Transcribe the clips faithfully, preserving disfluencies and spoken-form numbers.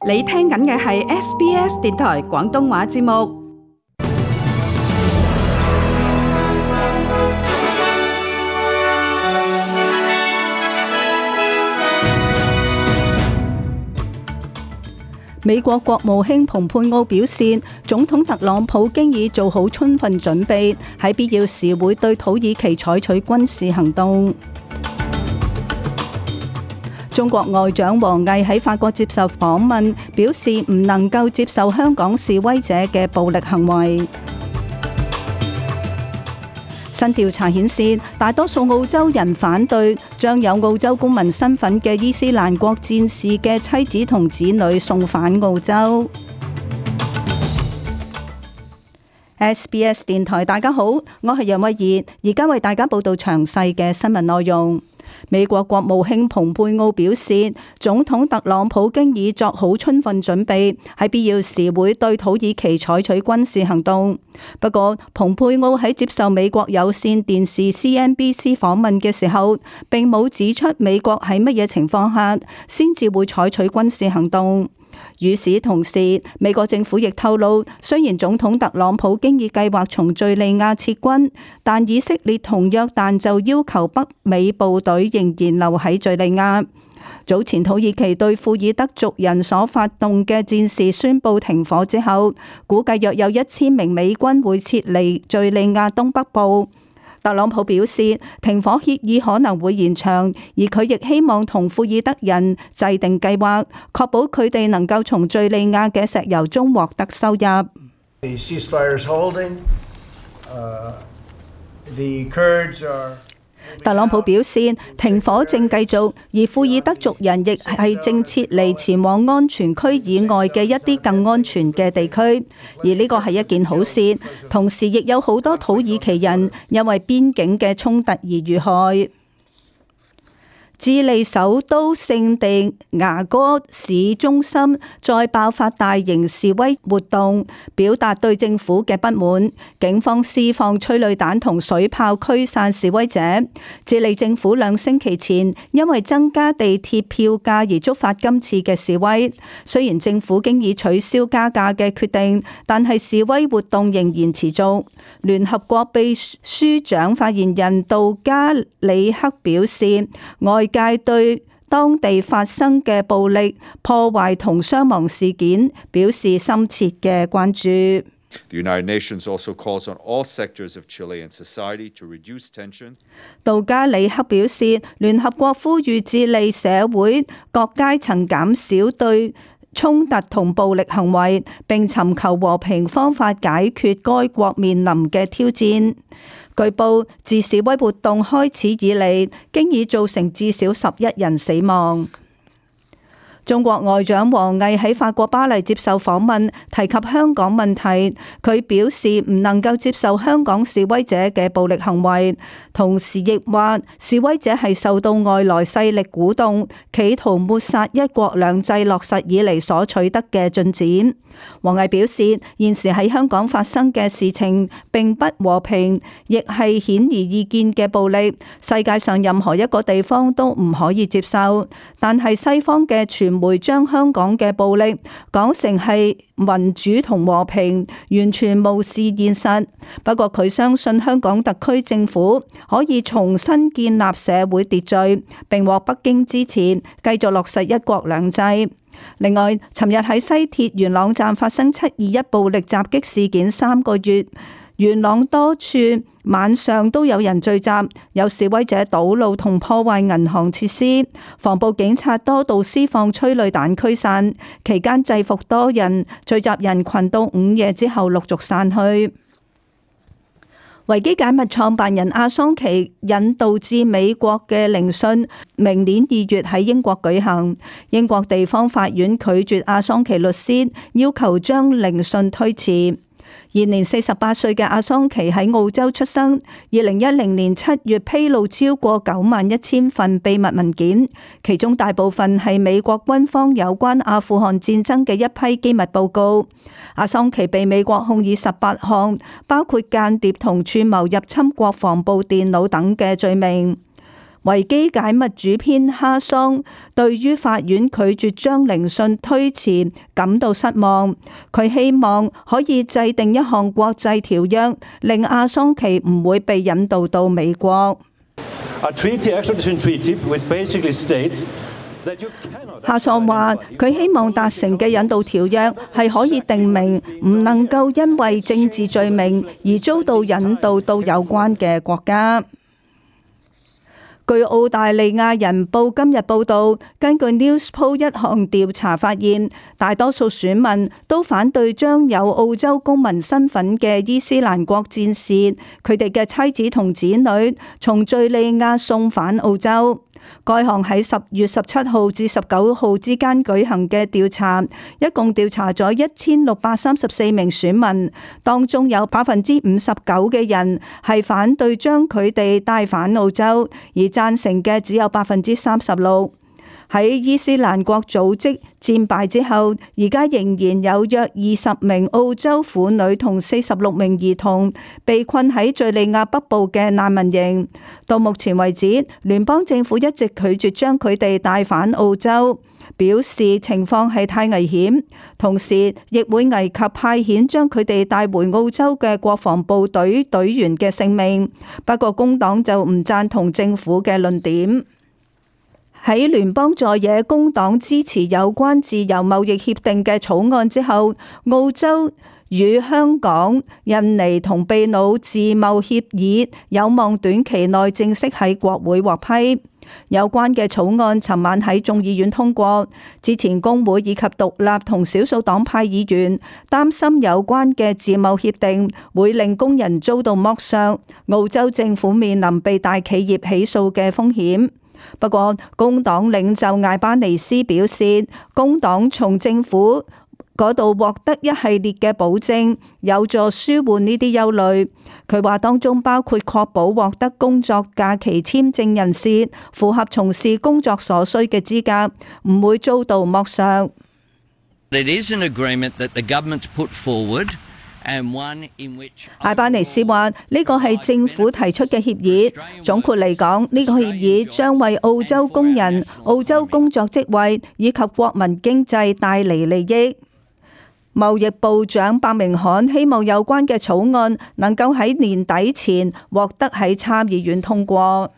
你聽緊嘅係 S B S 電台廣東話節目。美國國務卿蓬佩奧表示，總統特朗普經已做好充分準備，喺必要時會對土耳其採取軍事行動。中國外長王毅喺法國接受訪問，表示唔能夠接受香港示威者嘅暴力行為。新調查顯示，大多數澳洲人反對將有澳洲公民身份嘅伊斯蘭國戰士嘅妻子同子女送返澳洲。S B S 電台，大家好，我係楊慧儀，而家為大家報道詳細嘅新聞內容。美國國務卿蓬佩奧表示，總統特朗普經已作好充分準備，喺必要時會對土耳其採取軍事行動。不過，蓬佩奧喺接受美國有線電視 C N B C 訪問嘅時候，並冇指出美國喺乜嘢情況下先至會採取軍事行動。與此同時，美國政府亦透露，雖然總統特朗普經已計劃從敘利亞撤軍，但以色列同約旦就要求北美部隊仍然留喺敘利亞。早前土耳其對庫爾德族人所發動嘅戰事宣布停火之後，估計約有一千名美軍會撤離敘利亞東北部。特朗普表示，停火協議可能會延長，而佢亦希望同庫爾德人制定計劃，確保佢哋能夠從敘利亞嘅石油中獲得收入。The ceasefire is holding. Uh, the Kurds are特朗普表示，停火正繼續，而庫爾德族人亦係正撤離前往安全區以外嘅一啲更安全嘅地區，而呢個係一件好事。同時，亦有好多土耳其人因為邊境嘅衝突而遇害。智利首都聖地牙哥市中心再爆發大型示威活動，表達對政府嘅不滿。警方施放催淚彈同水炮驅散示威者。智利政府兩星期前因為增加地鐵票價而觸發今次嘅示威。雖然政府經已取消加價嘅決定，但係示威活動仍然持續。聯合國秘書長發言人杜加里克表示，外界對當地發生嘅暴力破壞同傷亡事件表示深切嘅關注。The United Nations also calls on all sectors of Chilean society to reduce tension. 杜加里克表示，聯合國呼籲智利社會各階層減少對衝突同暴力行為，並尋求和平方法解決該國面臨嘅挑戰。據報，自示威活動開始以嚟，經已造成至少十一人死亡。中國外長王毅喺法國巴黎接受訪問，提及香港問題。佢表示唔能夠接受香港示威者嘅暴力行為，同時亦話示威者係受到外來勢力鼓動，企圖抹殺一國兩制落實以嚟所取得嘅進展。王毅表示，現時喺香港發生嘅事情並不和平，亦係顯而易見嘅暴力，世界上任何一個地方都唔可以接受。但係西方嘅傳媒將香港嘅暴力講成係民主同和平，完全無視現實。不過佢相信香港特區政府可以重新建立社會秩序，並獲北京支持，繼續落實一國兩制。另外，尋日喺西鐵元朗站發生七二一暴力襲擊事件三個月，元朗多處晚上都有人聚集，有示威者堵路同破壞銀行設施，防暴警察多度施放催淚彈驅散，期間制服多人，聚集人群到午夜之後陸續散去。維基解密創辦人阿桑奇引渡至美國嘅聆訊，明年二月喺英國舉行。英國地方法院拒絕阿桑奇律師要求將聆訊推遲。現年四十八歲嘅阿桑奇喺澳洲出生，二零一零年七月披露超過九萬一千份秘密文件，其中大部分係美國軍方有關阿富汗戰爭嘅一批機密報告。阿桑奇被美國控以十八項，包括間諜同串謀入侵國防部電腦等嘅罪名。維基解密主編哈桑對於法院拒絕將聆訊推遲感到失望，佢希望可以制定一項國際條約，令阿桑奇唔會被引渡到美國。哈桑話：佢希望達成嘅引渡條約係可以定明唔能夠因為政治罪名而遭到引渡到有關嘅國家。據澳大利亞人報今日報導，根據 Newspoll 一項調查發現，大多數選民都反對將有澳洲公民身份嘅伊斯蘭國戰士佢哋嘅妻子同子女從敘利亞送返澳洲。該項喺十月十七號至十九號之間舉行嘅調查，一共調查咗一千六百三十四名選民，當中有百分之五十九嘅人係反對將佢哋帶返澳洲，而贊成嘅只有百分之三十六。喺伊斯蘭國組織戰敗之後，而家仍然有約二十名澳洲婦女同四十六名兒童被困喺敘利亞北部嘅難民營。到目前為止，聯邦政府一直拒絕將佢哋帶返澳洲，表示情況係太危險，同時亦會危及派遣將佢哋帶回澳洲嘅國防部隊隊員嘅性命。不過工黨就唔贊同政府嘅論點。喺聯邦在野工黨支持有關自由貿易協定嘅草案之後，澳洲與香港、印尼同秘魯自貿協議有望短期內正式喺國會獲批。有關嘅草案尋晚喺眾議院通過。之前工會以及獨立同少數黨派議員擔心有關嘅自貿協定會令工人遭到剝削，澳洲政府面臨被大企業起訴嘅風險。不過，工黨領袖艾巴尼斯表示，工黨從政府嗰度獲得一系列嘅保證，有助舒緩呢啲憂慮。佢話當中包括確保獲得工作假期簽證人士符合從事工作所需嘅資格，唔會遭到剝削。It is an agreement that the government put forward. 艾巴尼斯話：呢個係政府提出嘅協議。總括嚟講，呢個協議將為澳洲工人、澳洲工作職位以及國民經濟帶嚟利益。貿易部長伯明翰希望有關嘅草案能夠喺年底前獲得喺參議院通過。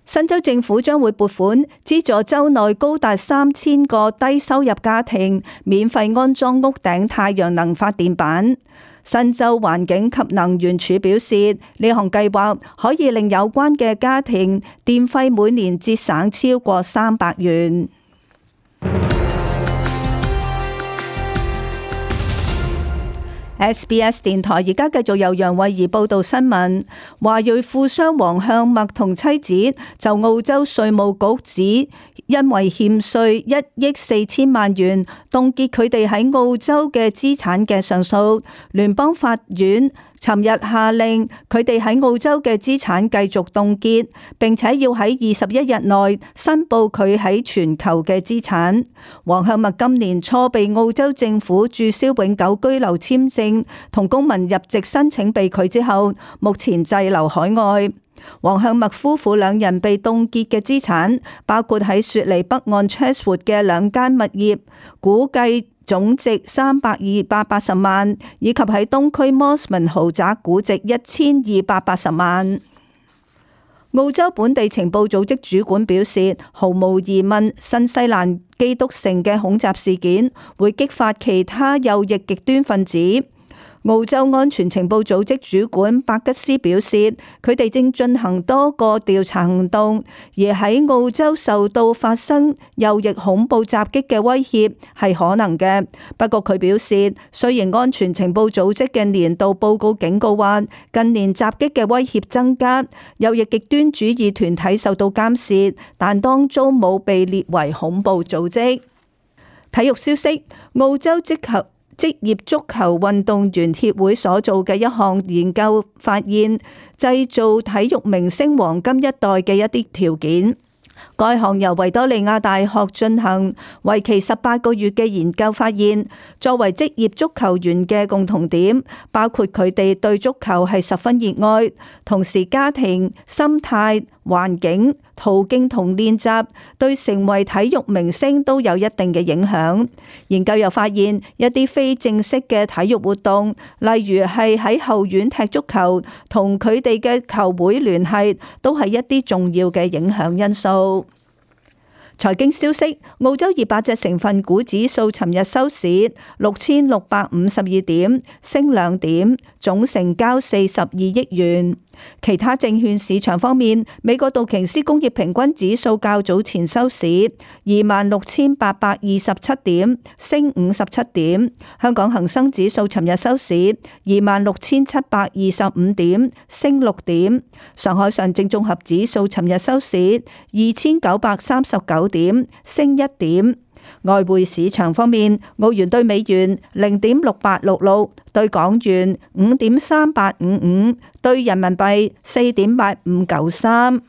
新州政府將會撥款資助州內高達三千個低收入家庭免費安裝屋頂太陽能發電板。新州環境及能源署表示，呢項計劃可以令有關嘅家庭電費每年節省超過三百元。S B S 電台而家繼續由楊慧儀報道新聞。華裔富商黃向墨同妻子就澳洲稅務局指，因為欠稅一億四千萬元，凍結佢哋喺澳洲嘅資產嘅上訴。聯邦法院尋日下令佢哋喺澳洲嘅資產繼續凍結，並且要喺二十一日內申報佢喺全球嘅資產。黃向墨今年初被澳洲政府註銷永久居留簽證同公民入籍申請被拒之後，目前滯留海外。黃向墨夫婦兩人被凍結嘅資產包括喺雪梨北岸 Chatswood 嘅兩間物業，估計總值三百二百八十萬，以及喺東區 Mosman 豪宅估值一千二百八十萬。澳洲本地情報組織主管表示，毫無疑問，新西蘭基督城嘅恐襲事件會激發其他右翼極端分子。澳洲安全情報組織主管伯吉斯表示，佢哋正進行多個調查行動，而喺澳洲受到發生右翼恐怖襲擊嘅威脅係可能嘅。不過佢表示，雖然安全情報組織嘅年度報告警告話近年襲擊嘅威脅增加，右翼極端主義團體受到監視，但當中冇被列為恐怖組織。體育消息，澳洲職球職業足球運動員協會所做嘅一項研究發現，製造體育明星黃金一代嘅一啲條件。該項由維多利亞大學進行，為期十八個月嘅研究發現，作為職業足球員嘅共同點，包括佢哋對足球係十分熱愛，同時家庭、心態、環境、途徑同練習對成為體育明星都有一定嘅影響。研究又發現，一啲非正式嘅體育活動，例如係喺後院踢足球，同佢哋嘅球會聯繫，都係一啲重要嘅影響因素。財經消息，澳洲二百隻成分股指數尋日收市六千六百五十二點，升兩點，總成交四十二億元。其他證券市場方面，美國道瓊斯工業平均指數較早前收市二萬六千八百二十七點，升五十七點。香港恒生指數尋日收市二萬六千七百二十五點，升六點。上海上證綜合指數尋日收市二千九百三十九點，升一點。外匯市場方面，澳元兌美元零點六八六六，兌港元五點三八五五，兌人民幣四點八五九三。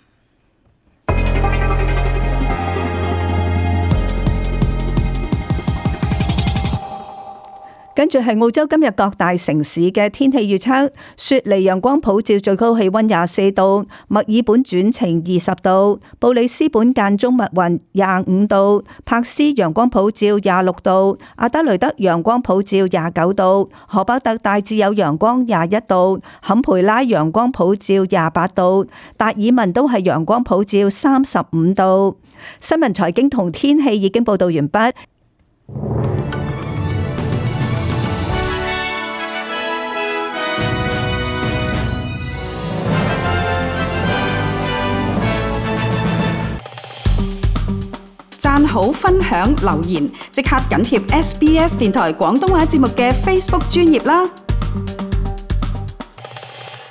跟住係澳洲今日各大城市嘅天氣預測：雪梨陽光普照，最高氣溫廿四度；墨爾本轉晴二十度；布里斯本間中密雲廿五度；柏斯陽光普照廿六度；阿德雷德陽光普照廿九度；荷伯特大致有陽光廿一度；坎培拉陽光普照廿八度；達爾文都係陽光普照三十五度。新聞財經同天氣已經報道完畢。讚好、分享、留言，即刻緊貼 S B S 電台廣東話節目嘅 Facebook 專頁啦！